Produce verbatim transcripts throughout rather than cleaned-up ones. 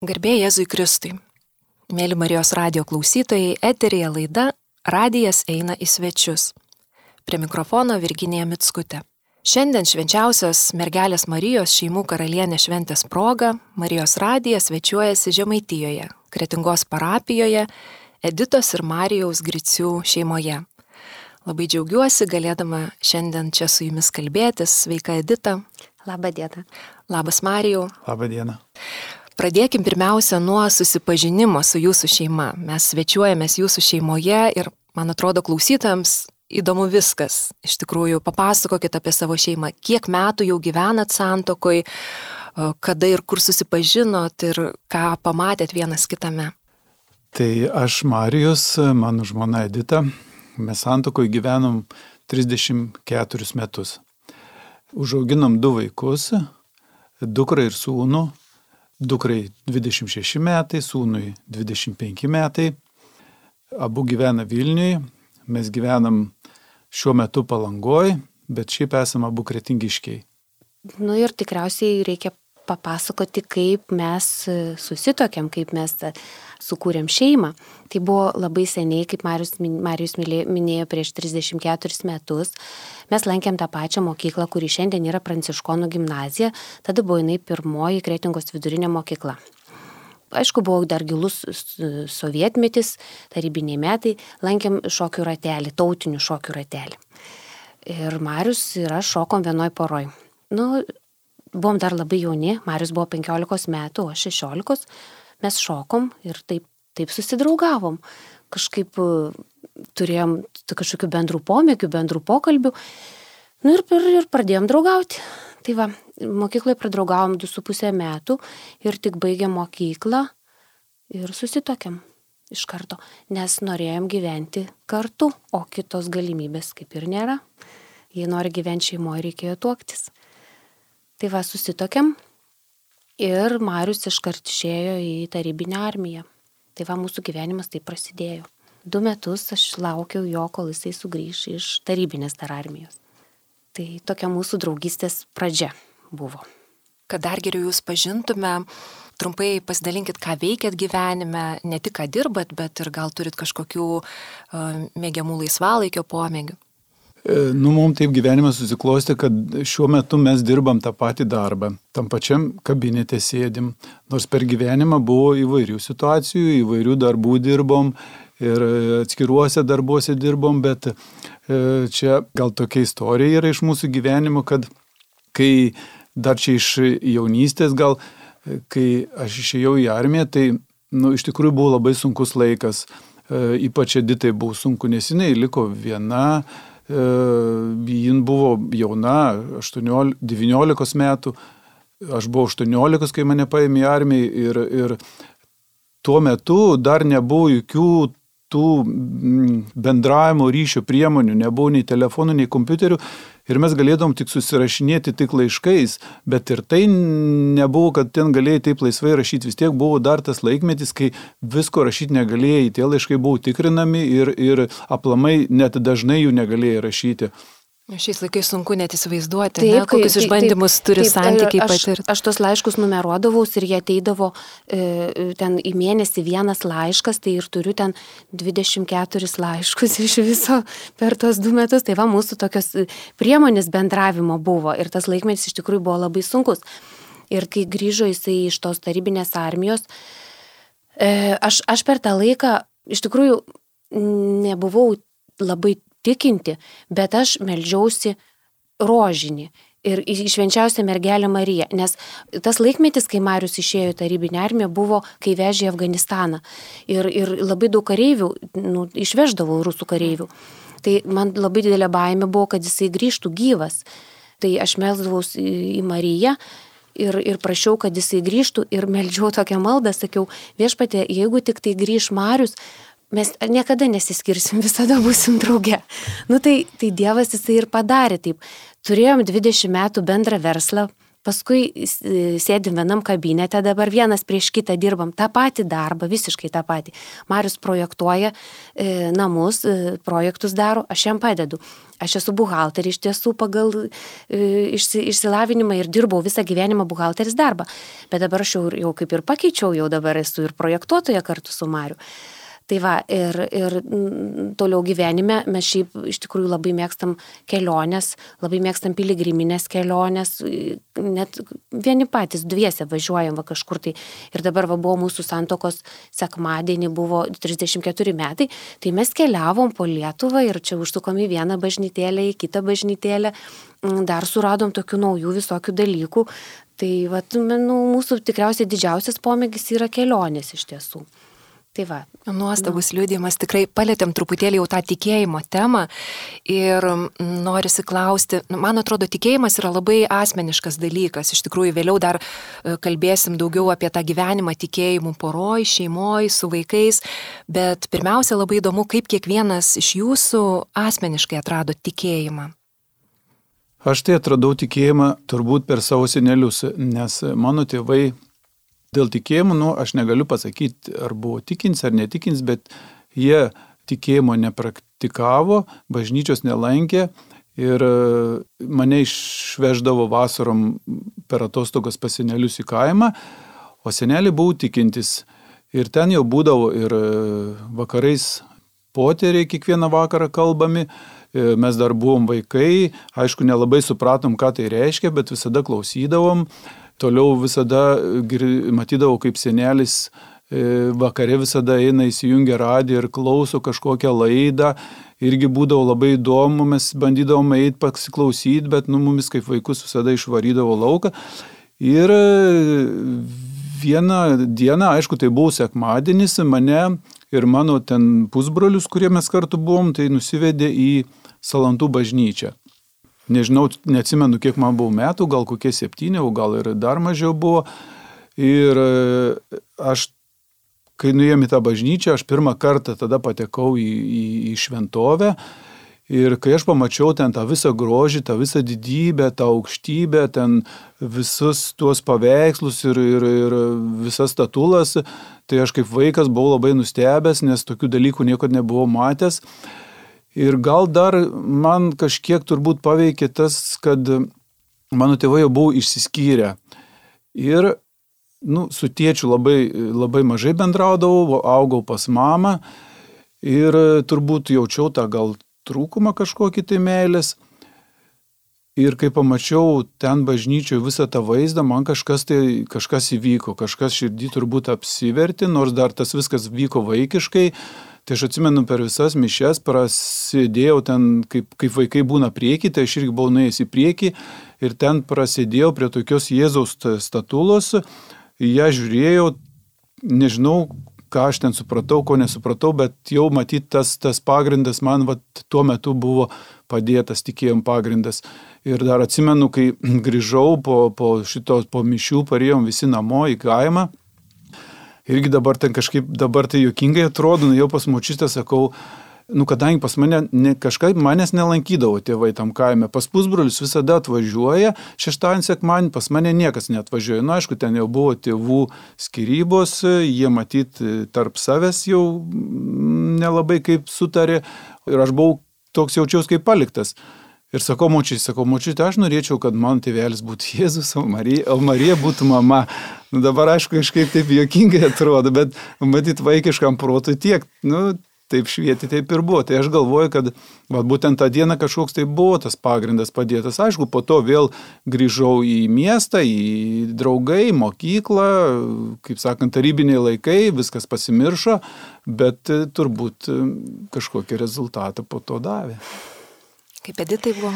Garbė Jėzui Kristui. Mėly Marijos radijo klausytojai, eteryje laida Radijas eina į svečius. Prie mikrofono Virginija Mickutė. Šiandien švenčiausios mergelės Marijos šeimų karalienės šventės proga Marijos radijas svečiuojasi Žemaitijoje, Kretingos parapijoje, Editos ir Marijaus Gricių šeimoje. Labai džiaugiuosi galėdama šiandien čia su jumis kalbėtis. Sveika Edita. Labą dieną. Labas Marijau. Labą dieną. Pradėkim pirmiausia nuo susipažinimo su jūsų šeima. Mes svečiuojamės jūsų šeimoje ir, man atrodo, klausytojams įdomu viskas. Iš tikrųjų, papasakokit apie savo šeimą. Kiek metų jau gyvenat santokoj, kada ir kur susipažinot ir ką pamatėt vienas kitame? Tai aš Marijus, mano žmona Edita. Mes santokoj gyvenom trisdešimt keturis metus. Užauginom du vaikus, dukrą ir sūnų. Dukrai dvidešimt šeši metai, sūnui dvidešimt penki metai. Abu gyvena Vilniuje. Mes gyvenam šiuo metu Palangoj, bet šiaip esame abu kretingiškiai. Nu ir tikriausiai reikia papasakoti, kaip mes susitokėm, kaip mes sukūrėm šeimą. Tai buvo labai seniai, kaip Marijus, Marijus minėjo, prieš trisdešimt keturis metus. Mes lankėm tą pačią mokyklą, kuri šiandien yra Pranciškonų gimnazija. Tada buvo jinai pirmoji Kretingos vidurinė mokykla. Aišku, buvo dar gilus sovietmetis, tarybiniai metai. Lankėm šokių ratelį, tautinių šokių ratelį. Ir Marijus ir aš šokom vienoj poroj. Nu, buvom dar labai jauni. Marijus buvo penkiolikos metų, o aš šešiolikos. Mes šokom ir taip, taip susidraugavom. Kažkaip turėjom kažkokių bendrų pomėgių, bendrų pokalbių. Nu ir, ir, ir pradėjom draugauti. Tai va, mokykloje pradraugavom du su pusę metų ir tik baigėm mokyklą ir susitokėm iš karto, nes norėjom gyventi kartu, o kitos galimybės kaip ir nėra. Jei nori gyventi šeimoje, reikėjo tuoktis. Tai va, susitokėm ir Marijus iškart išėjo į tarybinę armiją. Tai va, mūsų gyvenimas taip prasidėjo. Du metus aš laukiau jo, kol jisai sugrįš iš tarybinės dar armijos. Tai tokia mūsų draugystės pradžia buvo. Kad dar geriau jūs pažintume, trumpai pasidalinkit, ką veikėt gyvenime, ne tik ką dirbat, bet ir gal turit kažkokių uh, mėgiamų laisvalaikio pomėgių. Nu, mums taip gyvenimas susiklosti, kad šiuo metu mes dirbam tą patį darbą, tam pačiam kabinete sėdim, nors per gyvenimą buvo įvairių situacijų, įvairių darbų dirbom ir atskiruose darbuose dirbom, bet čia gal tokia istorija yra iš mūsų gyvenimo, kad kai dar čia iš jaunystės gal, kai aš išėjau į armiją, tai nu, iš tikrųjų buvo labai sunkus laikas, ypač Editai buvo sunku, nes jinai liko viena. Jin buvo jauna, devyniolikos metų, aš buvau aštuoniolikos, kai mane paėmė į armiją ir, ir tuo metu dar nebuvo jokių tų bendravimo ryšio priemonių, nebuvo nei telefonų, nei kompiuterių ir mes galėdom tik susirašinėti tik laiškais, bet ir tai nebuvo, kad ten galėjai taip laisvai rašyti, vis tiek buvo dar tas laikmetis, kai visko rašyti negalėjai, tie laiškai buvo tikrinami ir, ir aplamai net dažnai jų negalėjai rašyti. Šiais laikais sunku net įsivaizduoti, taip, ne, kokius taip, išbandymus taip, turi taip, santykiai patirti. Aš, aš tos laiškus numeruodavaus ir jie ateidavo e, ten į mėnesį vienas laiškas, tai ir turiu ten dvidešimt keturis laiškus iš viso per tos du metus. Tai va, mūsų tokios priemonės bendravimo buvo ir tas laikmetis iš tikrųjų buvo labai sunkus. Ir kai grįžo jisai iš tos tarybinės armijos, e, aš, aš per tą laiką iš tikrųjų nebuvau labai tikinti, bet aš meldžiausi rožinį ir į švenčiausią mergelę Mariją, nes tas laikmetis, kai Marijus išėjo į tarybinę armiją, buvo, kai vežė į Afganistaną ir, ir labai daug kareivių, nu, išveždavo rusų kareivių. Tai man labai didelė baimė buvo, kad jisai grįžtų gyvas. Tai aš melsdavaus į, į Mariją ir, ir prašiau, kad jisai grįžtų ir meldžiau tokią maldą, sakiau, viešpatie, jeigu tik tai grįž Marijus, mes niekada nesiskirsim, visada būsim drauge. Nu tai, tai Dievas jisai ir padarė taip. Turėjom dvidešimt metų bendrą verslą, paskui sėdim vienam kabinete, dabar vienas prieš kitą dirbam tą patį darbą, visiškai tą patį. Marius projektuoja e, namus, e, projektus daro, aš jam padedu. Aš esu buhalterė iš tiesų pagal e, išsi, išsilavinimą ir dirbau visą gyvenimą buhalteris darbą. Bet dabar aš jau, jau kaip ir pakeičiau, jau dabar esu ir projektuotoja kartu su Mariu. Tai va, ir, ir toliau gyvenime mes šiaip iš tikrųjų labai mėgstam keliones, labai mėgstam piligriminės keliones, net vieni patys dviese važiuojam va kažkur tai. Ir dabar va buvo mūsų santokos sekmadienį, buvo trisdešimt keturi metai, tai mes keliavom po Lietuvą ir čia užsukom į vieną bažnytėlę, į kitą bažnytėlę, dar suradom tokių naujų visokių dalykų. Tai va, nu, mūsų tikriausiai didžiausias pomėgis yra kelionės iš tiesų. Tai va. Nuostabus nu. liudijimas, tikrai palėtėm truputėlį jau tą tikėjimo temą ir norisi klausti, man atrodo, tikėjimas yra labai asmeniškas dalykas, iš tikrųjų vėliau dar kalbėsim daugiau apie tą gyvenimą tikėjimų poroj, šeimoj, su vaikais, bet pirmiausia labai įdomu, kaip kiekvienas iš jūsų asmeniškai atrado tikėjimą. Aš tai atradau tikėjimą turbūt per savo senelius, nes mano tėvai dėl tikėjimų, nu, aš negaliu pasakyti, ar buvo tikins ar netikins, bet jie tikėjimo nepraktikavo, bažnyčios nelankė ir mane išveždavo vasarom per atostogas pas senelius į kaimą, o seneliai buvo tikintis. Ir ten jau būdavo ir vakarais poteriai kiekvieną vakarą kalbami, mes dar buvom vaikai, aišku, nelabai supratom, ką tai reiškia, bet visada klausydavom. Toliau visada matydavau, kaip senelis vakare visada eina, įsijungia radiją ir klauso kažkokią laidą. Irgi būdavo labai įdomu, mes bandydavom eiti pasiklausyti, bet nu, mumis kaip vaikus visada išvarydavo lauką. Ir vieną dieną, aišku, tai buvo sekmadienis, mane ir mano ten pusbrolius, kurie mes kartu buvom, tai nusivedė į Salantų bažnyčią. Nežinau, neatsimenu, kiek man buvo metų, gal kokie septyni, o gal ir dar mažiau buvo. Ir aš, kai nuėjom į tą bažnyčią, aš pirmą kartą tada patekau į, į, į šventovę. Ir kai aš pamačiau ten tą visą grožį, tą visą didybę, tą aukštybę, ten visus tuos paveikslus ir, ir, ir visas statulas, tai aš kaip vaikas buvau labai nustebęs, nes tokių dalykų niekada nebuvau matęs. Ir gal dar man kažkiek turbūt paveikė tas, kad mano tėvai jau buvo išsiskyrę. Ir nu, su tėčiu labai, labai mažai bendraudavau, augau pas mamą ir turbūt jaučiau tą gal trūkumą kažkokį tai meilės. Ir kai pamačiau ten bažnyčioje visą tą vaizdą, man kažkas, tai, kažkas įvyko, kažkas širdį turbūt apsivertė, nors dar tas viskas vyko vaikiškai. Tai aš atsimenu per visas mišias, prasidėjau ten, kaip, kaip vaikai būna priekį, tai aš irgi buvau nuėjęs į priekį ir ten prasidėjau prie tokios Jėzaus statulos, ją žiūrėjau, nežinau, ką aš ten supratau, ko nesupratau, bet jau matyt tas, tas pagrindas man vat, tuo metu buvo padėtas, tikėjom pagrindas. Ir dar atsimenu, kai grįžau po, po šito, po mišių, parėjom visi namo į kaimą. Irgi dabar ten kažkaip, dabar tai juokingai atrodo, nu jau pas močiutę sakau, nu kadangi pas mane ne, kažkaip manęs nelankydavo tėvai tam kaime, pas pusbrolius visada atvažiuoja, šeštadienį sekmadienį pas mane niekas neatvažiuoja. Nu aišku, ten jau buvo tėvų skyrybos, jie matyt tarp savęs jau nelabai kaip sutarė ir aš buvau toks jaučiaus kaip paliktas. Ir sakau močiutė, sakau močiutė, aš norėčiau, kad mano tėvelis būtų Jėzus, o Marija, o Marija būtų mama. Nu dabar aišku, kažkaip taip juokingai atrodo, bet matyt vaikiškam protui tiek, nu taip švieti, taip ir buvo. Tai aš galvoju, kad va, būtent tą dieną kažkoks tai buvo tas pagrindas padėtas. Aišku, po to vėl grįžau į miestą, į draugai, mokyklą, kaip sakant, tarybiniai laikai, viskas pasimiršo, bet turbūt kažkokį rezultatą po to davė. Kaip Editai buvo?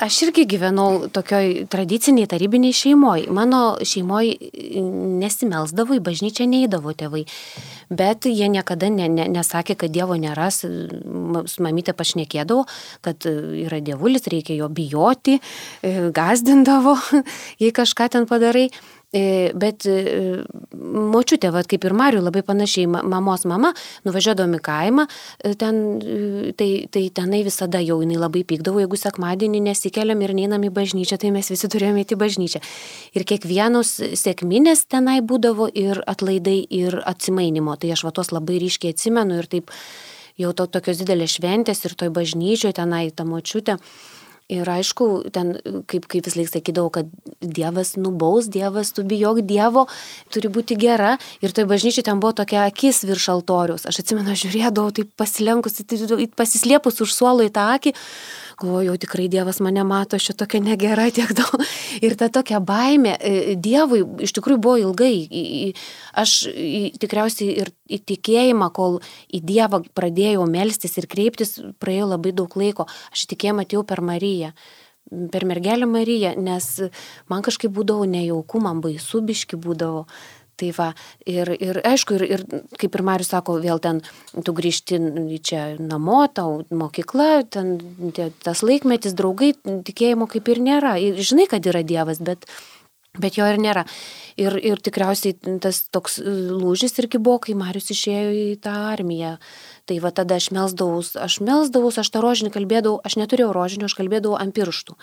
Aš irgi gyvenau tokioj tradiciniai tarybiniai šeimoj. Mano šeimoj nesimelsdavo, į bažnyčią neįdavo tėvai. Bet jie niekada ne, ne, nesakė, kad Dievo nėra. Su mamytė pašnekėdavo, kad yra dievulis, reikia jo bijoti, gazdindavo, jei kažką ten padarai. Bet močiutė, va, kaip ir Mariui, labai panašiai, mamos mama, nuvažiuodom į kaimą, ten, tai, tai tenai visada jau jinai labai pykdavo, jeigu sekmadienį nesikeliam ir neinam į bažnyčią, tai mes visi turėjome įti bažnyčią. Ir kiekvienos sekminės tenai būdavo ir atlaidai, ir atsimainimo. Tai aš va tos labai ryškiai atsimenu ir taip jau to, tokios didelės šventės ir toj bažnyčioje tenai ta močiutė. Ir aišku, ten, kaip, kaip vis laik sakydavau, kad Dievas nubaus, Dievas, tu bijok Dievo, turi būti gera. Ir toj bažnyčiai ten buvo tokia akis virš altoriaus. Aš atsimenu, žiūrėdavau, taip pasilenkus, pasislėpus už suolo į tą akį. Galvoju, jau tikrai Dievas mane mato, aš tokia negera tiek daug. Ir ta tokia baimė Dievui iš tikrųjų buvo ilgai. Aš tikriausiai ir į tikėjimą, kol į Dievą pradėjau melstis ir kreiptis, praėjo labai daug laiko. Aš į tikėjimą atėjau per Mariją, per mergelę Mariją, nes man kažkaip būdavo nejauku, man baisu biški būdavo. Tai va, ir, ir aišku, ir, ir kaip ir Marius sako, vėl ten tu grįžti čia namo, tau mokykla, ten tas laikmetis, draugai, tikėjimo kaip ir nėra. Ir žinai, kad yra Dievas, bet, bet jo ir nėra. Ir, ir tikriausiai tas toks lūžis irgi buvo, kai Marius išėjo į tą armiją. Tai va tada aš melsdavaus, aš melsdavaus, aš tą rožinį kalbėdavau, aš neturėjau rožinio, aš kalbėdavau ant pirštų.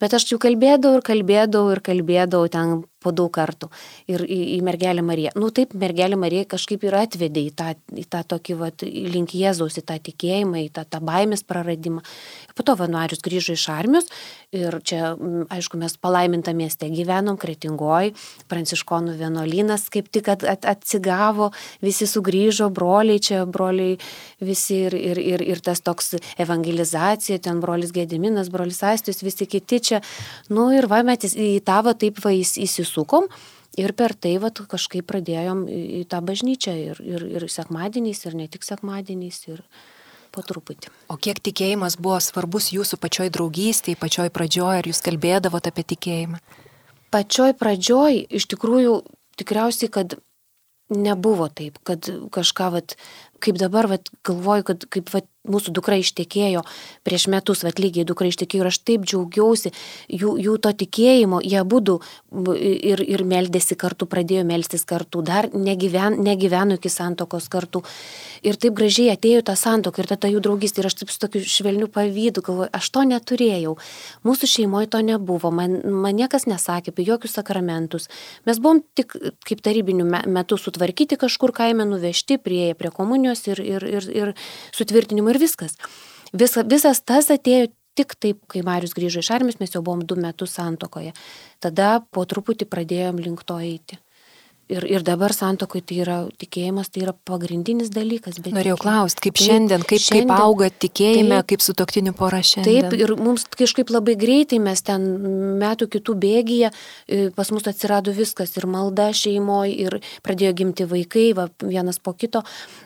Bet aš jau kalbėdavau ir kalbėdavau ir kalbėdavau ten po daug kartų ir į, į mergelę Mariją. Nu taip, mergelė Marija kažkaip ir atvedė į tą, į tą tokį, vat, link Jėzaus, į tą tikėjimą, į tą, tą baimės praradimą. Ir po to Marius grįžo iš armijos ir čia, aišku, mes palaimintą mieste gyvenom, Kretingoj, pranciškonų vienuolynas kaip tik at, at, atsigavo, visi sugrįžo, broliai čia, broliai visi ir, ir, ir, ir tas toks evangelizacija, ten brolis Gediminas, brolis Aistis, visi kiti čia. Nu ir va, mes į tą va taip va įsisukom. Ir per tai vat, kažkaip pradėjom į tą bažnyčią ir, ir, ir sekmadieniais, ir ne tik sekmadieniais, ir po truputį. O kiek tikėjimas buvo svarbus jūsų pačioj draugystėje, pačioj pradžioj, ar jūs kalbėdavote apie tikėjimą? Pačioj pradžioj, iš tikrųjų, tikriausiai, kad nebuvo taip, kad kažką, vat, kaip dabar vat, galvoju, kad kaip vat, mūsų dukra ištekėjo prieš metus, vat, lygiai dukra ištekėjo ir aš taip džiaugiausi jų, jų to tikėjimo, jie abudu ir, ir meldėsi kartu, pradėjo melstis kartu, dar negyven, negyveno iki santokos kartu. Ir taip gražiai atėjo tą santoką ir tada jų draugystė ir aš taip su tokiu švelniu pavydu galvoju, aš to neturėjau. Mūsų šeimoje to nebuvo, man, man niekas nesakė apie jokius sakramentus. Mes buvom tik kaip tarybinių metų sutvarkyti kažkur kaime, nuvežti prie, prie komunijos ir, ir, ir, ir sutvirtinimo ir viskas. Visa, visas tas atėjo tik taip, kai Marius grįžo iš armijos, mes jau buvom du metus santokoje. Tada po truputį pradėjom link to eiti. Ir, ir dabar santokoje tai yra tikėjimas, tai yra pagrindinis dalykas. Norėjau klausti, kaip taip, šiandien, kaip, šiandien, kaip auga tikėjime, taip, kaip sutuoktinių pora šiandien. Taip, ir mums kažkaip labai greitai, mes ten metų kitų bėgyje, pas mus atsirado viskas, ir malda šeimoje, ir pradėjo gimti vaikai, va, vienas po kito,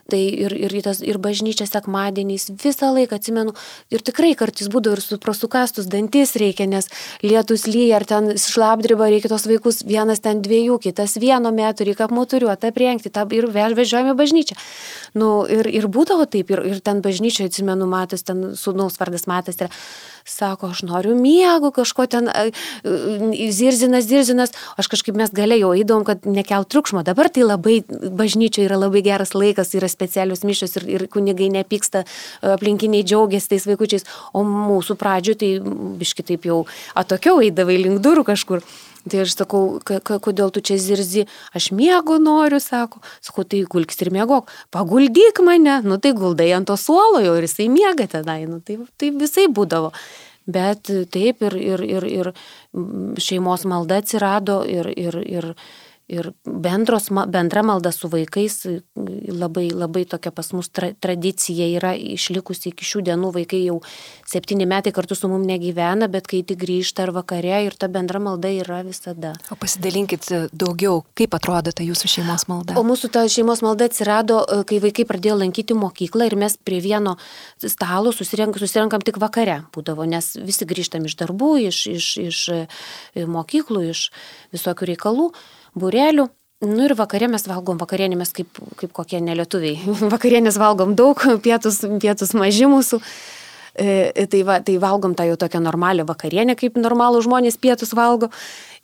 tai ir, ir, tas, ir bažnyčia sekmadieniais, visą laiką atsimenu, ir tikrai kartais būdavo ir su prosukastus dantis reikia, nes lietus lyja, ar ten šlapdriba, reikia tos vaikus, vienas ten dviejų, kitas vieno metų, reikia apmoturiuoti, aprengti tą, ir vežiojame bažnyčią. Nu, ir, ir būdavo taip, ir, ir ten bažnyčioje, atsimenu, Matas, ten sūnaus vardas Matas, ir sako, aš noriu miego, kažko ten zirzinas, zirzinas, aš kažkaip mes galėjau eidom, kad nekelt triukšmo. Dabar tai labai, bažnyčioje yra labai geras laikas, yra specialius mišios ir, ir kunigai nepyksta, aplinkiniai džiaugiasi tais vaikučiais, o mūsų pradžių tai biški taip jau atokiau eidavai link durų kažkur. Tai aš sakau, kodėl tu čia zirzi, aš miego noriu, sako, sakau, tai gulkis ir miegok, paguldyk mane, nu tai guldai ant to suolo jau ir jisai miega tenai, nu tai, tai visai būdavo. Bet taip ir, ir, ir, ir šeimos malda atsirado ir, ir, ir, ir bendros, bendra malda su vaikais, labai, labai tokia pas mus tra, tradicija yra išlikusi iki šių dienų, vaikai jau septyni metai kartu su mum negyvena, bet kai tik grįžta ar vakare ir ta bendra malda yra visada. O pasidalinkit daugiau, kaip atrodo ta jūsų šeimos malda? O mūsų ta šeimos malda atsirado, kai vaikai pradėjo lankyti mokyklą ir mes prie vieno stalo susirenk, susirenkam tik vakare būdavo, nes visi grįžtam iš darbų, iš, iš, iš mokyklų, iš visokių reikalų, būrelių. Nu ir vakarė mes valgom, vakarienį mes kaip, kaip kokie nelietuviai. Vakarienės valgom daug, pietus, pietus maži mūsų. E, tai, va, tai valgom tą jau tokią normalią vakarienę, kaip normalų žmonės pietus valgo.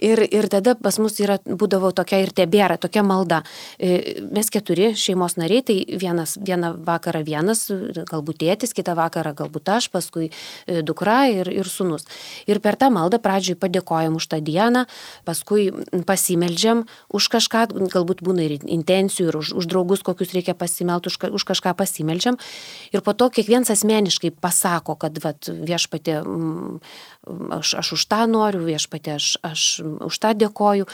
Ir, ir tada pas mus yra, būdavo tokia ir tebėra, tokia malda. Mes keturi šeimos nariai, tai vienas, vieną vakarą vienas, galbūt tėtis, kitą vakarą galbūt aš, paskui dukra ir, ir sūnus. Ir per tą maldą pradžioj padėkojam už tą dieną, paskui pasimeldžiam už kažką, galbūt būna ir intencijų, ir už, už draugus, kokius reikia pasimelti, už, už kažką pasimeldžiam. Ir po to kiekvienas asmeniškai pasako, kad vat, viešpatė, aš, aš už tą noriu, viešpatė, aš, aš už tą dėkoju.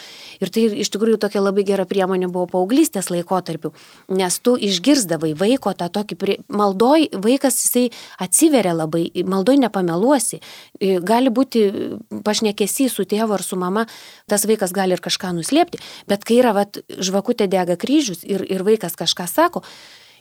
Ir tai iš tikrųjų tokia labai gera priemonė buvo paauglystės laikotarpiu, nes tu išgirsdavai vaiko tą tokį, prie... maldoj vaikas jisai atsiveria labai, maldoj nepameluosi. Gali būti pašnekesys su tėvu ar su mama, tas vaikas gali ir kažką nuslėpti, bet kai yra vat, žvakutė dega kryžius ir, ir vaikas kažką sako,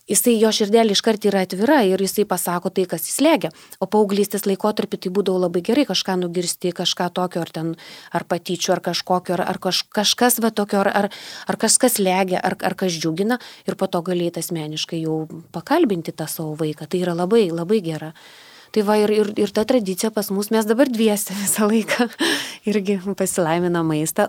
jisai jo širdelė iškart yra atvira ir jisai pasako tai, kas jis slegia. O paauglystės laikotarpį tai būdavo labai gerai kažką nugirsti, kažką tokio, ar ten, ar patyčių, ar kažkokio, ar, ar kaž, kažkas va tokio, ar, ar, ar kažkas slegia, ar, ar kas džiugina ir po to galėtų asmeniškai jau pakalbinti tą savo vaiką. Tai yra labai, labai gera. Tai va ir, ir, ir ta tradicija pas mus, mes dabar dviese visą laiką irgi pasilaimina maistą,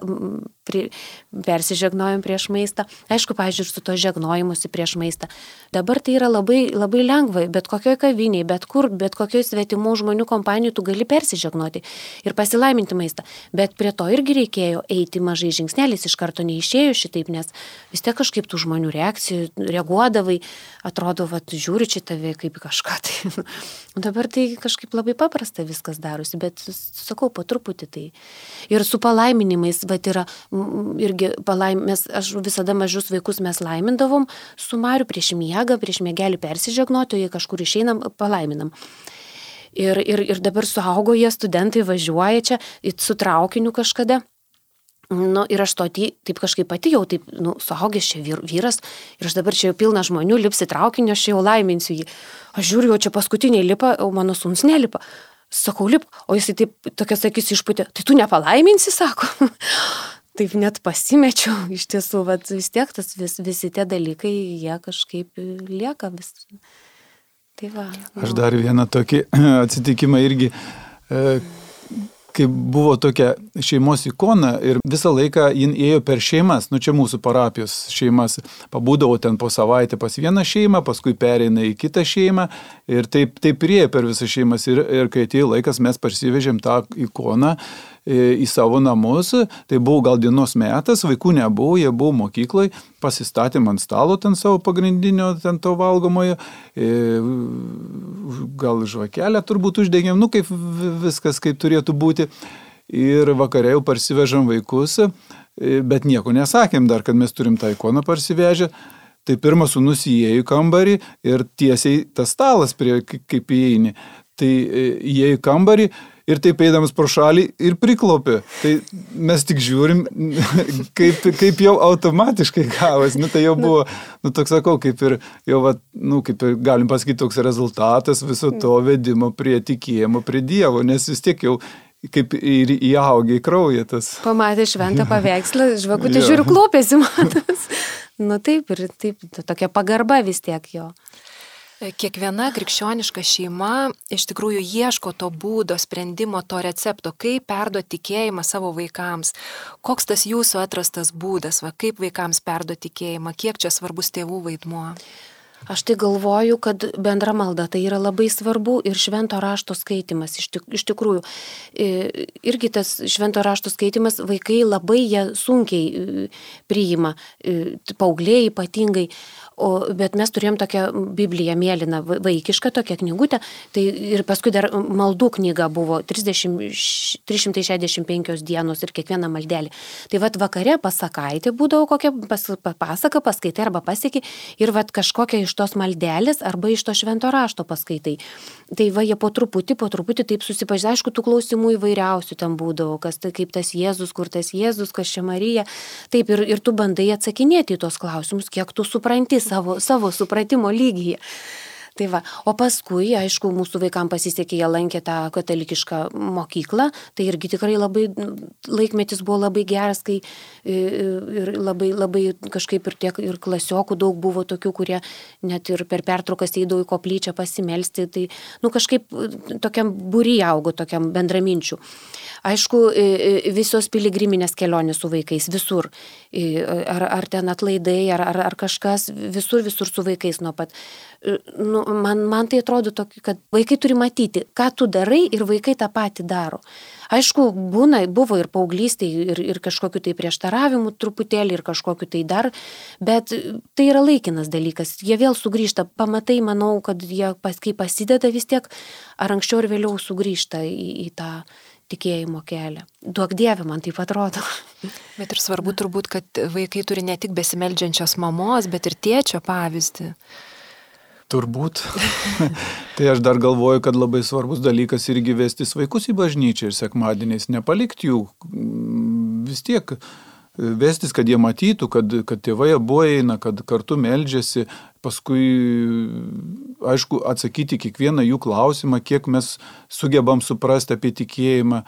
prie, persižegnojam prieš maistą. Aišku, pažiūrėjau, su to žegnojimusi prieš maistą. Dabar tai yra labai, labai lengva, bet kokioj kaviniai, bet kur, bet kokioj svetimų žmonių kompanijų tu gali persižegnoti ir pasilaiminti maistą. Bet prie to irgi reikėjo eiti mažai žingsneliais, iš karto neišėjo šitaip, nes vis tiek kažkaip tų žmonių reakcijų reaguodavai, atrodo, va, žiūri čia tave kaip kažką. Tai. Dabar tai kažkaip labai paprasta viskas darosi, bet sakau, po truputį tai. Ir su palaiminimais, va, yra irgi palaimės, aš visada mažus vaikus mes laimindavom su Mariu prieš miegą, prieš miegelį persižegnoti, o jei kažkur išeinam, palaiminam. Ir, ir, ir dabar suaugo jie, studentai važiuoja čia su traukiniu kažkada. Nu, ir aš to taip kažkaip pati jau, taip, nu, suaugęs čia vyras, ir aš dabar čia jau pilna žmonių, lipsi traukinio, aš jau laiminsiu jį. Aš žiūriu, jau čia paskutiniai lipa, o mano sūnus nelipa. Sakau, lip, o jisai taip, tokias akis išputė, tai tu nepalaiminsi, sako. Taip net pasimečiau, iš tiesų, vat, vis tiek tas vis, visi tie dalykai, jie kažkaip lieka vis. Tai va. Nu. Aš dar vieną tokį atsitikimą irgi, e, kai buvo tokia šeimos ikona ir visą laiką jin ėjo per šeimas, nu čia mūsų parapijos šeimas, pabūdavo ten po savaitę pas vieną šeimą, paskui pereina į kitą šeimą ir taip, taip priejo per visą šeimas ir, ir kai atėjo laikas mes parsivežėm tą ikoną į savo namus, tai buvo gal dienos metas, vaikų nebuvo, jie buvo mokykloje, pasistatėm ant stalo ten savo pagrindinio, ten to valgomojo, gal žvakelę turbūt uždegėm, nu kaip viskas kaip turėtų būti. Ir vakare jau parsivežam vaikus, bet nieko nesakėm dar, kad mes turim tą ikoną parsivežę. Tai pirmas sūnus įėjo į kambarį ir tiesiai tas stalas, prie, kaip įeini. Tai įėjo į kambarį ir taip eidamas pro šalį ir priklopė. Tai mes tik žiūrim, kaip, kaip jau automatiškai gavas. Nu, tai jau buvo, nu, toks sakau, kaip ir, jau, va, nu, kaip ir galim pasakyti, toks rezultatas viso to vedimo prie tikėjimo, prie Dievo, nes vis tiek jau kaip ir įaugė į kraują tas. Pamatė šventą paveikslą, žvakutė žiūriu, klopėsi matas. Nu taip, ir taip, tokia pagarba vis tiek jo. Kiekviena krikščioniška šeima iš tikrųjų ieško to būdo, sprendimo, to recepto, kaip perduoti tikėjimą savo vaikams. Koks tas jūsų atrastas būdas, va, kaip vaikams perduoti tikėjimą, kiek čia svarbus tėvų vaidmuo? Aš tai galvoju, kad bendra malda tai yra labai svarbu ir švento rašto skaitimas. Iš, tik, iš tikrųjų, irgi tas švento rašto skaitimas vaikai labai jie sunkiai priima, paaugliai ypatingai. O, bet mes turėjom tokią Bibliją mėlyną, vaikišką tokią knygutę, tai ir paskui dar maldų knyga buvo trisdešimt, trys šimtai šešiasdešimt penkios dienos ir kiekviena maldelė. Tai vat vakare pasakaitė būdavo kokia pas, pasaka, paskaitai arba pasieki ir vat kažkokia iš tos maldelės arba iš to švento rašto paskaitai. Tai va jie po truputį, po truputį taip susipažino, aišku, tų klausimų įvairiausių ten būdavo, kas tai kaip tas Jėzus, kur tas Jėzus, kas čia Marija. Taip ir, ir tu bandai atsakinėti į tos klausimus, kiek tu supranti savo, savo supratimo lygyje. Tai va, o paskui, aišku, mūsų vaikams pasisekė, jie lankė tą katalikišką mokyklą, tai irgi tikrai labai, laikmetis buvo labai geras, kai ir labai, labai kažkaip ir tiek ir klasiokų daug buvo tokių, kurie net ir per pertraukas eidavo į koplyčią pasimelsti, tai, nu, kažkaip tokiam būry augo, tokiam bendraminčių. Aišku, visos piligriminės kelionės su vaikais, visur, ar, ar ten atlaidai, ar, ar, ar kažkas, visur, visur su vaikais nuo pat. Nu, man, man tai atrodo tokį, kad vaikai turi matyti, ką tu darai ir vaikai tą patį daro. Aišku, būna, buvo ir paauglystėje, ir, ir kažkokiu tai prieštaravimu truputėlį, ir kažkokiu tai dar, bet tai yra laikinas dalykas. Jie vėl sugrįžta, pamatai, manau, kad jie, kai pasideda vis tiek, ar anksčiau ir vėliau sugrįžta į, į tą tikėjimo kelią. Duok Dieve, man taip atrodo. Bet ir svarbu turbūt, kad vaikai turi ne tik besimeldžiančios mamos, bet ir tėčio pavyzdį. Turbūt. Tai aš dar galvoju, kad labai svarbus dalykas irgi vestis vaikus į bažnyčią ir sekmadieniais nepalikti jų. Vis tiek vestis, kad jie matytų, kad, kad tėvai abu eina, kad kartu meldžiasi, paskui, aišku, atsakyti kiekvieną jų klausimą, kiek mes sugebam suprasti apie tikėjimą.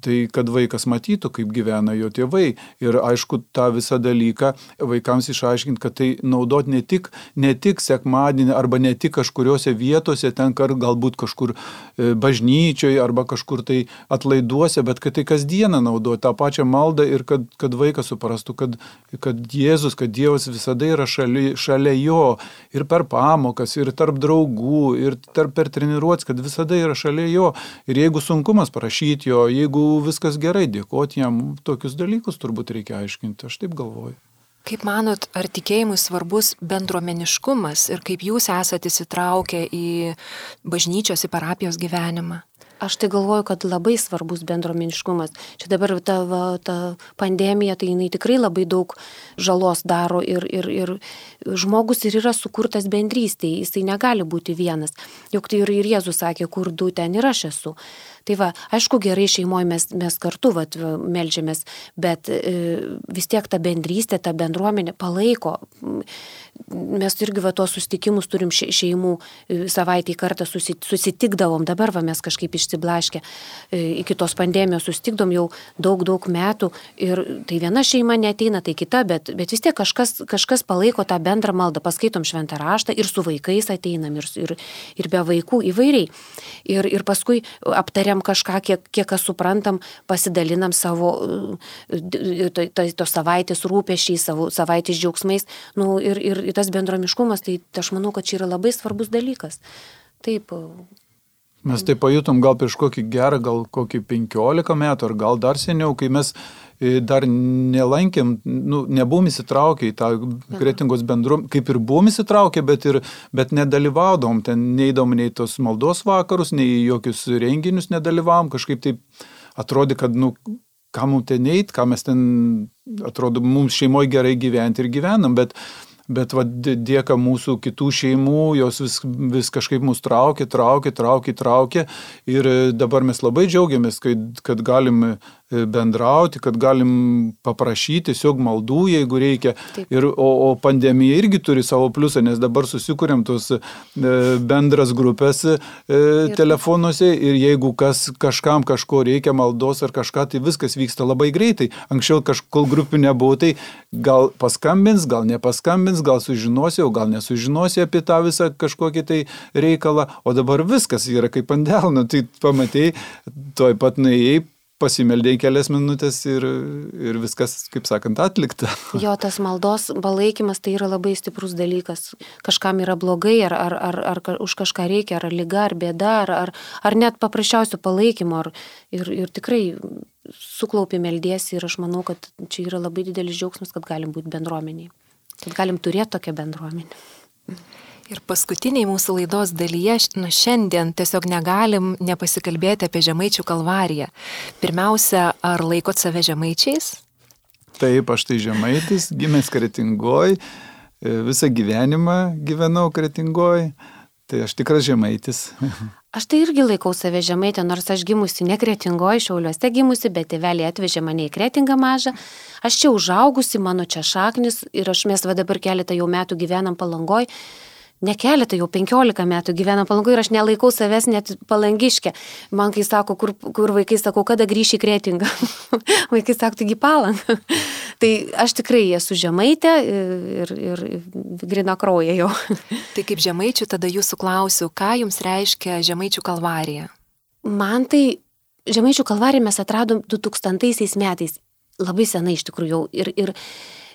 Tai kad vaikas matytų, kaip gyvena jo tėvai. Ir aišku, tą visą dalyką vaikams išaiškinti, kad tai naudot ne tik, ne tik sekmadienį arba ne tik kažkuriuose vietose, ten galbūt kažkur bažnyčioje arba kažkur tai atlaiduose, bet kad tai kasdieną naudoti tą pačią maldą ir kad, kad vaikas suprastų, kad, kad Jėzus, kad Dievas visada yra šalia, šalia jo ir per pamokas, ir tarp draugų, ir tarp per treniruotes, kad visada yra šalia jo. Ir jeigu sunkumas prašyti jo, jeigu viskas gerai, dėkoti jam, tokius dalykus turbūt reikia aiškinti, aš taip galvoju. Kaip manot, ar tikėjimui svarbus bendruomeniškumas ir kaip jūs esate įsitraukę į bažnyčios, į parapijos gyvenimą? Aš tai galvoju, kad labai svarbus bendruomeniškumas. Čia dabar ta, va, ta pandemija, tai jinai tikrai labai daug žalos daro ir, ir, ir žmogus ir yra sukurtas bendrystėje, jisai negali būti vienas. Juk tai ir, ir Jėzus sakė, kur du, ten ir aš esu. Tai va, aišku, gerai šeimoje mes, mes kartu vat, meldžiamės, bet e, vis tiek ta bendrystė, ta bendruomenė palaiko. Mes irgi va, tuos susitikimus turim šeimų, savaitį kartą susitikdavom, dabar va, mes kažkaip išsiblaškę, iki tos pandemijos susitikdom jau daug, daug metų ir tai viena šeima neateina, tai kita, bet, bet vis tiek kažkas, kažkas palaiko tą bendrą maldą, paskaitom šventą raštą ir su vaikais ateinam ir, ir, ir be vaikų įvairiai. Ir, ir paskui aptariam kažką, kiek, kiek kas suprantam, pasidalinam savo to, to, to savaitės rūpesčiais, savo savaitės džiaugsmais. Nu, ir, ir tas bendromiškumas, tai aš manau, kad čia yra labai svarbus dalykas. Taip. Mes tai pajutom gal prieš kokį gerą, gal kokį penkiolika metų, ar gal dar seniau, kai mes dar nelankėm, nu, nebuvom įsitraukę į tą Kretingos bendruomenę, kaip ir buvom įsitraukę, bet, ir, bet nedalyvaudom, ten neįdom nei tos maldos vakarus, nei jokius renginius nedalyvavom, kažkaip taip atrodė, kad, nu, ką mums ten eit, ką mes ten, atrodo, mums šeimoje gerai gyventi ir gyvenam, bet Bet va, dėka mūsų kitų šeimų, jos vis, vis kažkaip mus traukė, traukė, traukė, traukė. Ir dabar mes labai džiaugiamės, kad, kad galim bendrauti, kad galim paprašyti tiesiog maldų, jeigu reikia. Ir, o, o pandemija irgi turi savo pliusą, nes dabar susikūrėm tos e, bendras grupės e, telefonuose ir jeigu kas, kažkam kažko reikia maldos ar kažką, tai viskas vyksta labai greitai. Anksčiau kažkol grupių nebuvo, tai gal paskambins, gal nepaskambins, gal sužinosi, o gal nesužinosi apie tą visą kažkokį tai reikalą, o dabar viskas yra kaip ant delno, tai pamatei, toj pat nuėjai, pasimeldėjai kelias minutės ir, ir viskas, kaip sakant, atlikta. Jo, tas maldos palaikymas tai yra labai stiprus dalykas. Kažkam yra blogai, ar, ar, ar, ar už kažką reikia, ar lyga, ar bėda, ar, ar, ar net paprasčiausio palaikymo. Ar, ir, ir tikrai suklaupi meldiesi ir aš manau, kad čia yra labai didelis džiaugsmas, kad galim būti bendruomeniai. Kad galim turėti tokią bendruomenę. Ir paskutiniai mūsų laidos dalyje, nu šiandien tiesiog negalim nepasikalbėti apie Žemaičių kalvariją. Pirmiausia, ar laikot save žemaičiais? Taip, aš tai žemaitis, gimęs Kretingoj, visą gyvenimą gyvenau Kretingoj, tai aš tikras žemaitis. Aš tai irgi laikau save žemaitė, nors aš gimusi ne Kretingoj, Šiauliuose gimusi, bet tėveliai atvežė mane į Kretingą mažą. Aš čia užaugusi, mano čia šaknis ir aš mes va dabar keletą jau metų gyvenam Palangoj. ne keletą, jau penkiolika metų gyvena Palangoje ir aš nelaikau savęs net Palangiškė. Man kai sako, kur, kur vaikai sakau, kada grįši į Kretingą. Vaikai sako, taigi Palangą. Tai aš tikrai esu žemaitė ir, ir grina krauja jau. Tai kaip žemaičių tada jūsų klausiu, ką jums reiškia Žemaičių kalvarija? Man tai Žemaičių kalvariją mes atradom du tūkstantaisiais metais, labai senai iš tikrųjų jau ir, ir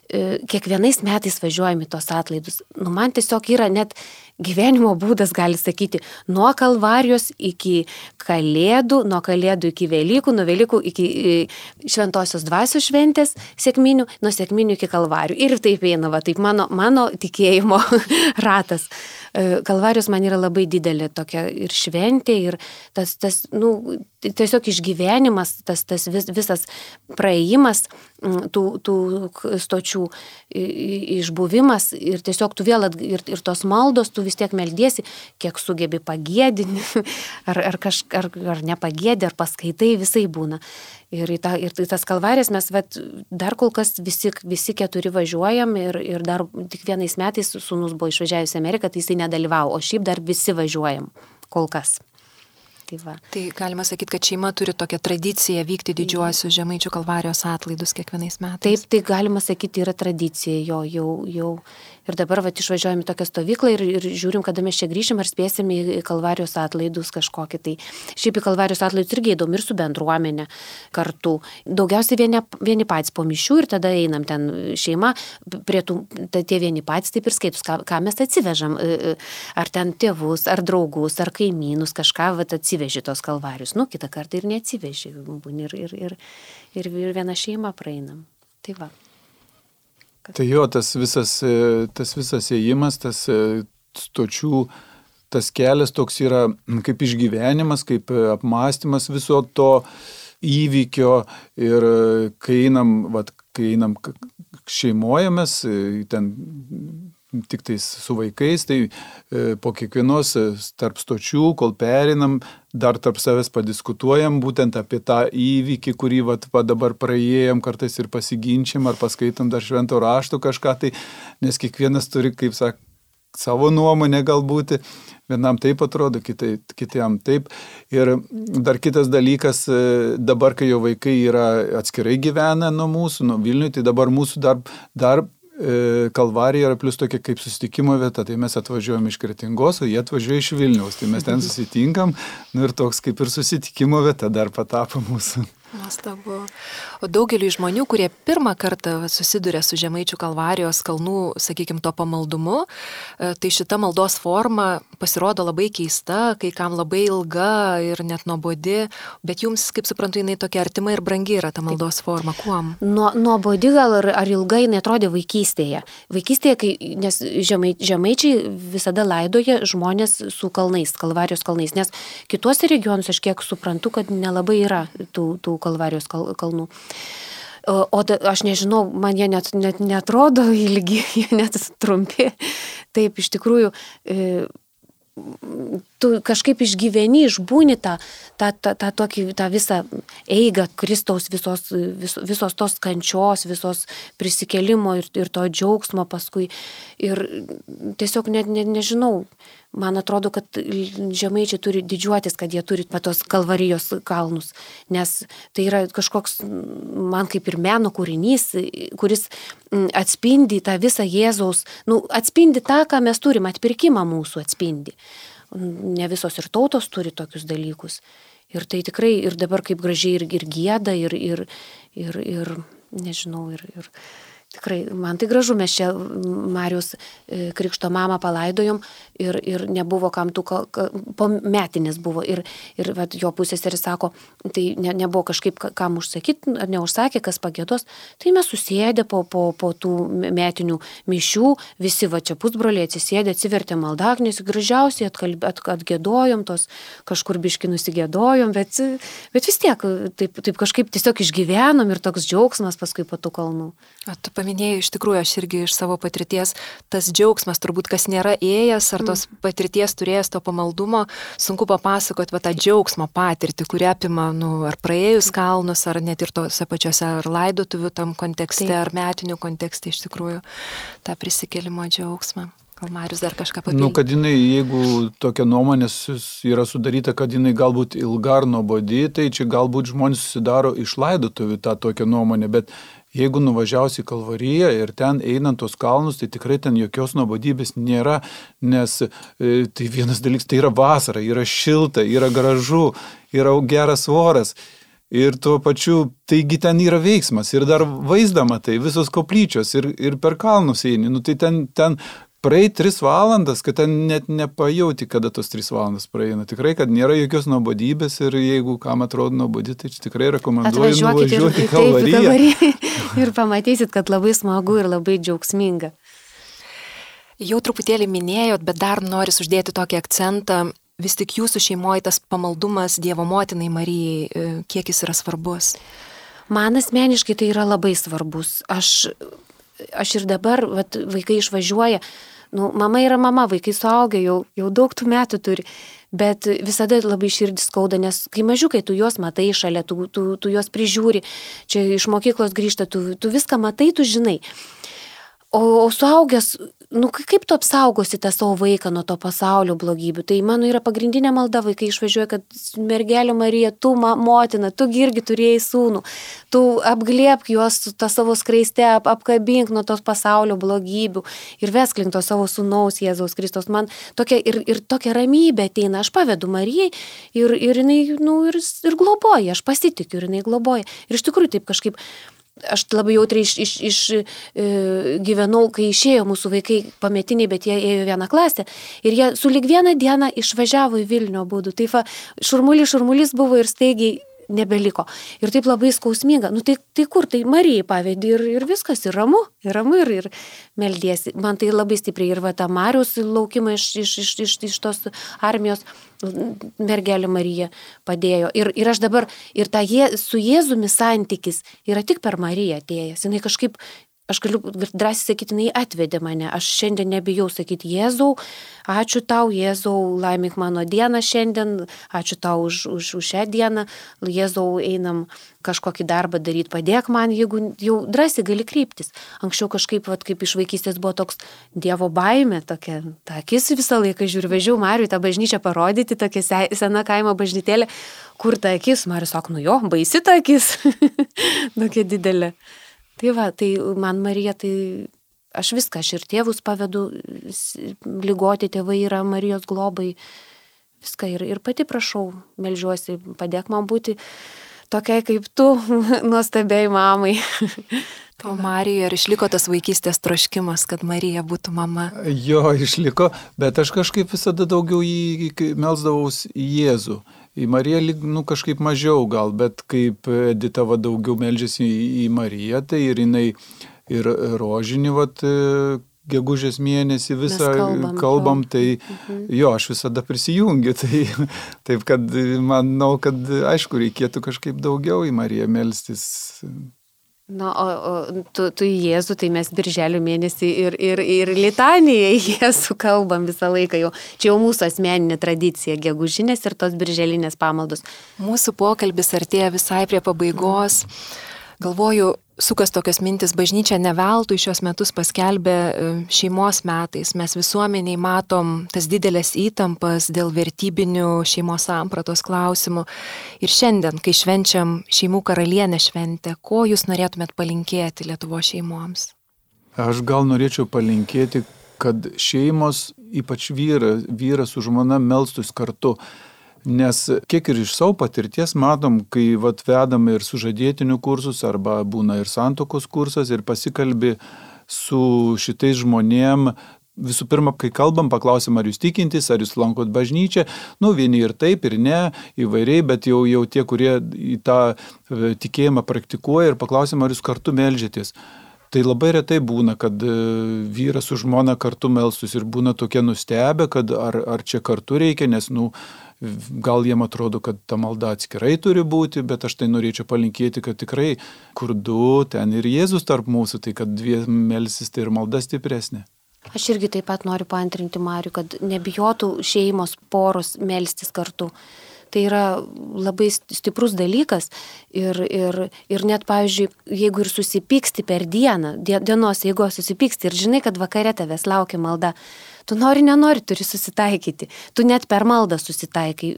kiekvienais metais važiuojame tos atlaidus. Nu, man tiesiog yra net gyvenimo būdas, gali sakyti, nuo kalvarijos iki kalėdų, nuo kalėdų iki Velykų, nuo Velykų iki Šventosios dvasios šventės sekminių, nuo sekminių iki kalvarijų. Ir taip eina, va, taip mano, mano tikėjimo ratas. Kalvarijos man yra labai didelė tokia ir šventė, ir tas, tas nu, tiesiog išgyvenimas, tas, tas vis, visas praėjimas tų, tų stočių išbuvimas ir tiesiog tu vėl at, ir, ir tos maldos, tu vis tiek meldiesi, kiek sugebi pagėdinti, ar, ar, kaž, ar, ar nepagėdi, ar paskaitai, visai būna. Ir į, ta, ir į tas kalvarijas mes vat, dar kol kas visi, visi keturi važiuojam ir, ir dar tik vienais metais sūnus buvo išvažiavęs į Ameriką, tai jisai nedalyvavo, o šiaip dar visi važiuojam kol kas. Tai, va. Tai galima sakyti, kad šeima turi tokią tradiciją vykti didžiuosius Žemaičių kalvarijos atlaidus kiekvienais metais. Taip, tai galima sakyti, yra tradicija jo, jau, jau. Ir dabar vat, išvažiuojame į tokią stovyklą ir, ir žiūrim, kada mes čia grįšim, ar spėsim į kalvarijos atlaidus kažkokį. Tai šiaip į kalvarijos atlaidus irgi įdomu ir su bendruomenė kartu. Daugiausiai vieni, vieni patys po mišių ir tada einam ten šeima, prie tų, tie vieni patys taip ir skaitus, ką, ką mes atsivežam. Ar ten tėvus, ar draugus, ar kaimynus, kažką vat, atsiveži tos kalvarijos. Nu, kitą kartą ir neatsiveži. Ir, ir, ir, ir, ir viena šeima praeinam. Tai va. Tai jo, tas visas, tas visas ėjimas, tas stočių, tas kelias toks yra kaip išgyvenimas, kaip apmąstymas viso to įvykio ir kai einam, vat, kai einam šeimojamės, ten tik tais su vaikais, tai po kiekvienos tarp stočių, kol perinam, dar tarp savęs padiskutuojam būtent apie tą įvykį, kurį vat, va, dabar praėjom, kartais ir pasiginčiam, ar paskaitom dar švento rašto kažką, tai, nes kiekvienas turi, kaip sak, savo nuomonę galbūt, vienam taip atrodo, kitai, kitiem taip. Ir dar kitas dalykas, dabar, kai jo vaikai yra atskirai gyvena nuo mūsų, nuo Vilniuje, tai dabar mūsų dar, dar Kalvarija yra plus tokia kaip susitikimo vieta, tai mes atvažiuojam iš Kretingos, o jie atvažiuoja iš Vilniaus, tai mes ten susitinkam, nu ir toks kaip ir susitikimo vieta dar patapo mūsų. Nuostabu. O daugeliu žmonių, kurie pirmą kartą susiduria su Žemaičių kalvarijos kalnų, sakykime, to pamaldumu, tai šita maldos forma pasirodo labai keista, kai kam labai ilga ir net nuobodi, bet jums, kaip suprantu, jinai tokia artima ir brangi yra ta maldos forma. Kuom? Nuo, nuobodi gal ar, ar ilgai jinai atrodė vaikystėje. Vaikystėje, kai, nes žemai, žemaičiai visada laidoja žmonės su kalnais, kalvarijos kalnais, nes kituose regionuose aš kiek suprantu, kad nelabai yra tų, tų kalvarijos kal, kalnų. O, o da, aš nežinau, man jie net, net netrodo ilgi, jie net trumpi. Taip, iš tikrųjų, e, tu kažkaip išgyveni, išbūni tą, tą, tą, tą, tokį, tą visą eigą Kristaus visos, vis, visos tos kančios, visos prisikėlimo ir, ir to džiaugsmo paskui. Ir tiesiog net ne, nežinau, man atrodo, kad žemaičiai turi didžiuotis, kad jie turi tos kalvarijos kalnus, nes tai yra kažkoks, man kaip ir meno kūrinys, kuris atspindi tą visą Jėzaus, nu, atspindi tą, ką mes turim, atpirkimą mūsų atspindi. Ne visos ir tautos turi tokius dalykus. Ir tai tikrai, ir dabar kaip gražiai ir, ir gieda, ir, ir, ir, ir nežinau, ir... ir tikrai, man tai gražu, mes čia Mariaus krikšto mamą palaidojom ir, ir nebuvo kam tų, po metinės buvo ir, ir vat, jo pusėseris sako, tai ne, nebuvo kažkaip kam užsakyti, ar neužsakė, kas pagėdos, tai mes susėdė po, po, po tų metinių mišių, visi va čia pusbroliai atsisėdė, atsivertė maldaknės, gražiausiai atkalb, at, atgėdojom, tos kažkur biški nusigėdojom, bet, bet vis tiek taip, taip kažkaip tiesiog išgyvenom ir toks džiaugsmas paskui po tų kalnų. O tu paminėjai, iš tikrųjų, aš irgi iš savo patirties, tas džiaugsmas, turbūt kas nėra ėjęs, ar tos patirties turėjęs to pamaldumo, sunku papasakoti va, tą džiaugsmo patirtį, kuri apima, nu, ar praėjus kalnus, ar net ir tose pačiose, ar laidotuvių tam kontekste, Taip. Ar metinių kontekste, iš tikrųjų, tą prisikėlimo džiaugsmą. Gal Marius dar kažką papildė? Nu, kad jinai, jeigu tokia nuomonė yra sudaryta, kad jinai galbūt ilga ar nuobodi, tai čia galbūt žmonės susidaro iš laidotuvių tą tokią nuomonę, bet jeigu nuvažiausi į Kalvariją ir ten einant tos kalnus, tai tikrai ten jokios nuobodybės nėra, nes e, tai vienas dalykas, tai yra vasara, yra šilta, yra gražu, yra geras oras. Ir tuo pačiu, taigi ten yra veiksmas ir dar vaizdama tai visos koplyčios ir, ir per kalnus eini. Nu, tai ten, ten praeit tris valandas, kad ten net nepajauti, kada tos tris valandas praeina. Tikrai, kad nėra jokios nuobodybės ir jeigu kam atrodo nuobodi, tai tikrai rekomenduoju nuvažiuoti į Kalvariją. Ir pamatysit, kad labai smagu ir labai džiaugsminga. Jau truputėlį minėjot, bet dar noris uždėti tokį akcentą. Vis tik jūsų šeimoje tas pamaldumas Dievo motinai Marijai, kiek jis yra svarbus? Man asmeniškai tai yra labai svarbus. Aš, aš ir dabar, vat, vaikai išvažiuoja, nu, mama yra mama, vaikai suaugę, jau, jau daug tų metų turi, bet visada labai širdis skauda, nes kai mažiukai tu juos matai šalia, tu, tu, tu juos prižiūri, čia iš mokyklos grįžta, tu, tu viską matai, tu žinai. O, o suaugęs, nu kaip tu apsaugosi tą savo vaiką nuo to pasaulio blogybių? Tai mano yra pagrindinė malda, vaikai išvažiuoja, kad mergelė Marija, tu ma, motina, tu irgi turėjai sūnų, tu apglėbk juos tą savo skraiste, ap, apkabink nuo tos pasaulio blogybių ir vesk link to savo sūnaus Jėzaus Kristaus. Man tokia ir, ir tokia ramybė ateina, aš pavedu Marijai ir, ir jinai, nu, ir, ir globoja, aš pasitikiu ir jinai globoja. Ir iš tikrųjų taip kažkaip. Aš labai jautriai iš, iš, iš, e, gyvenau, kai išėjo mūsų vaikai pametiniai, bet jie ėjo vieną klasę ir jie sulig vieną dieną išvažiavo į Vilnių abudu. Tai va, šurmulis, šurmulis buvo ir staigiai nebeliko. Ir taip labai skausminga. Nu tai, tai kur, tai Marijai pavedi ir, ir viskas, ir ramu, ir ramu, ir, ir meldiesi. Man tai labai stipriai ir va tą Mariaus laukimą iš, iš, iš, iš, iš tos armijos mergelė Marija padėjo. Ir, ir aš dabar, ir ta je, su Jėzumi santykis yra tik per Mariją atėjęs. Jinai kažkaip, aš galiu drąsiai sakyti, jinai atvedė mane. Aš šiandien nebijau sakyti, Jėzau, ačiū tau, Jėzau, laimink mano dieną šiandien, ačiū tau už, už, už šią dieną, Jėzau, einam kažkokį darbą daryti, padėk man, jeigu jau drąsiai gali kreiptis. Anksčiau kažkaip, vat, kaip iš vaikystės buvo toks Dievo baimė, tokia, ta akis visą laiką žiūri, važiuoju Mariui tą bažnyčią parodyti, tokia sena kaimo bažnytėlė, kur ta akis, Marius sako, nu jo, baisi ta akis, tokia didelė. Tai va, tai man Marija, tai aš viską, aš ir tėvus pavedu, ligoti tėvai yra Marijos globai, viską ir, ir pati prašau, melžiuosi, padėk man būti tokiai kaip tu, nuostabiai mamai. O Marijoje ar išliko tas vaikystės troškimas, kad Marija būtų mama? Jo, išliko, bet aš kažkaip visada daugiau jį melsdavaus į Jėzų. Į Mariją nu, kažkaip mažiau gal, bet kaip Edita va, daugiau meldžiasi į, į Mariją, tai ir jinai ir rožinį, vat, gegužės mėnesį visą kalbam, kalbam tai mhm. jo, aš visada prisijungiu, tai taip, kad manau, kad aišku, reikėtų kažkaip daugiau į Mariją melstis. Na, o, o tu, tu į Jėzų, tai mes birželio mėnesį ir, ir, ir litaniją į Jėzų kalbam visą laiką jau. Čia jau mūsų asmeninė tradicija, gegužinės ir tos birželinės pamaldos. Mūsų pokalbis artėja visai prie pabaigos. Galvoju, sukas tokios mintis, bažnyčia ne veltui šios metus paskelbė šeimos metais. Mes visuomeniai matom tas didelės įtampas dėl vertybinių šeimos sampratos klausimų. Ir šiandien, kai švenčiam šeimų karalienę šventę, ko jūs norėtumėt palinkėti Lietuvos šeimoms? Aš gal norėčiau palinkėti, kad šeimos, ypač vyras, vyras su žmona melstus kartu. Nes kiek ir iš savo patirties matom, kai vat, vedam ir sužadėtinių kursus arba būna ir santokos kursas ir pasikalbi su šitais žmonėm. Visų pirma, kai kalbam, paklausim, ar jūs tikintys, ar jūs lankot bažnyčią. Nu, vieni ir taip, ir ne, įvairiai, bet jau, jau tie, kurie į tą tikėjimą praktikuoja ir paklausim, ar jūs kartu meldžiatės. Tai labai retai būna, kad vyras su žmona kartu melstus ir būna tokie nustebę, kad ar, ar čia kartu reikia, nes, nu, gal jiem atrodo, kad ta malda atskirai turi būti, bet aš tai norėčiau palinkėti, kad tikrai kur du, ten ir Jėzus tarp mūsų, tai kad dviem melsis, tai ir malda stipresnė. Aš irgi taip pat noriu paantrinti Marių, kad nebijotų šeimos poros melstis kartu. tai yra labai stiprus dalykas ir, ir, ir net, pavyzdžiui, jeigu ir susipyksti per dieną, dienos, jeigu susipyksti ir žinai, kad vakare tavęs laukia malda, tu nori, nenori, turi susitaikyti. Tu net per maldą susitaikai.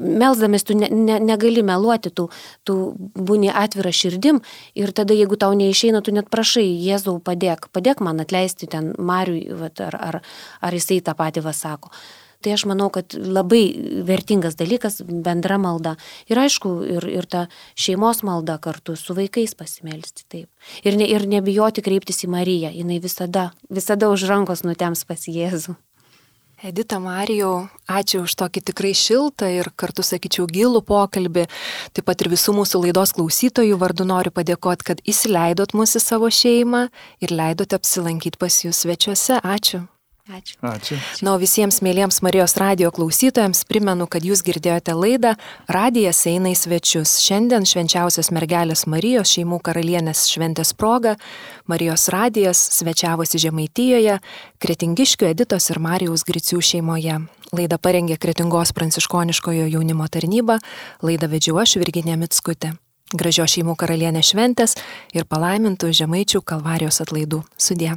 Melsdamis tu ne, ne, negali meluoti, tu, tu būni atvira širdim ir tada, jeigu tau neišeina, tu net prašai, Jėzau, padėk, padėk man atleisti ten Mariui, vat, ar, ar, ar jisai tą patį va sako. Tai aš manau, kad labai vertingas dalykas bendra malda. Ir aišku, ir, ir ta šeimos malda kartu su vaikais pasimelsti. Taip. Ir, ne, ir nebijoti kreiptis į Mariją. Jinai visada, visada už rankos nutems pas Jėzų. Edita, Marijau, ačiū už tokį tikrai šiltą ir kartu, sakyčiau, gilų pokalbį. Taip pat ir visų mūsų laidos klausytojų vardu noriu padėkoti, kad įsileidot mūsų į savo šeimą ir leidote apsilankyti pas jūs svečiuose. Ačiū. Ačiū. Ačiū. Na, o visiems mėlyjams Marijos radijo klausytojams primenu, kad jūs girdėjote laidą Radijas eina į svečius. Šiandien švenčiausios mergelės Marijos šeimų karalienės šventės proga Marijos radijas svečiavosi Žemaitijoje, Kretingiškių Editos ir Marijaus Gricių šeimoje. Laidą parengė Kretingos pranciškoniškojo jaunimo tarnyba, laidą vedžiau aš Virginija Mickutė. Gražios šeimų karalienės šventės ir palaimintų Žemaičių Kalvarijos atlaidų. Sudie.